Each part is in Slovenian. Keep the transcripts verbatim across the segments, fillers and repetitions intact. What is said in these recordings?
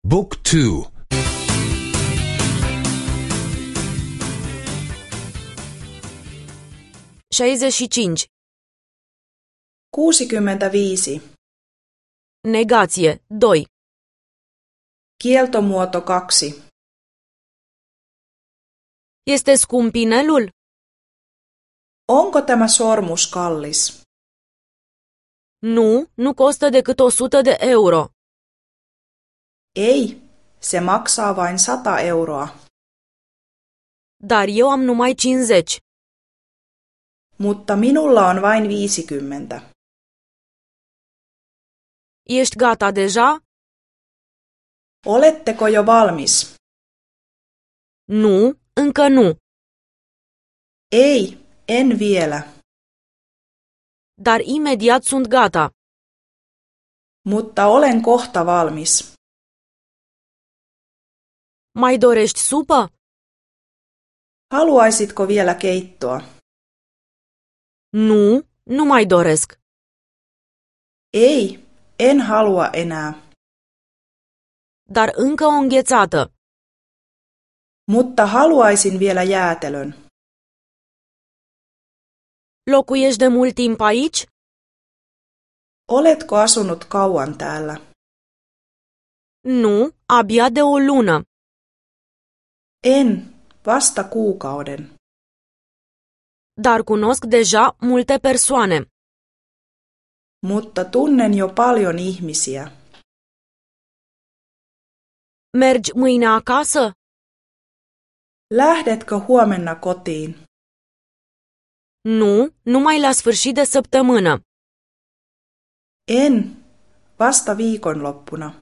Book two. șaizeci și cinci. kuusikymmentäviisi. Negație. doi. Kieltomuoto kaksi. Este scump inelul? Onko tämä sormus kallis? Nu, nu costă decât o sută de euro. Ei, se maksaa vain sata euroa. Dar eu am numai cincizeci. Mutta minulla on vain viisikymmentä. Ești gata deja? Oletteko jo valmis? Nu, încă nu. Ei, en vielä. Dar imediat sunt gata. Mutta olen kohta valmis. Mai dorești supă? Haluaisitko vielä keittoa? Nu, nu mai doresc. Ei, en halua enää. Dar încă o înghețată. Mutta haluaisin vielä jäätelön. Locuiești de mult timp aici? Oletko asunut kauan täällä? Nu, abia de o lună. En, vasta kuukauden. Dar cunosc deja multe persoane. Mutta tunnen jo paljon ihmisiä. Mergi mâine acasă? Lähdetkö huomenna kotiin? Nu, numai la sfârșit de săptămână. En, vasta viikonloppuna.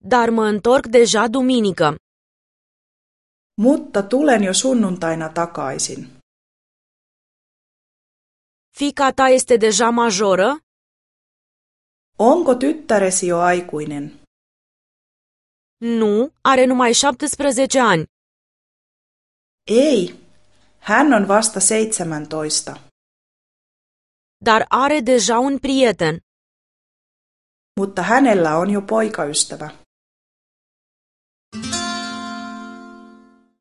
Dar mă întorc deja duminică. Mutta tulen jo sunnuntaina takaisin. Fiica ta este deja majoră? Onko tyttäresi jo aikuinen? Nu, are numai șaptesprezece ani. Ei, hän on vasta seitsemäntoista. Dar are deja un prieten. Mutta hänellä on jo poikaystävä.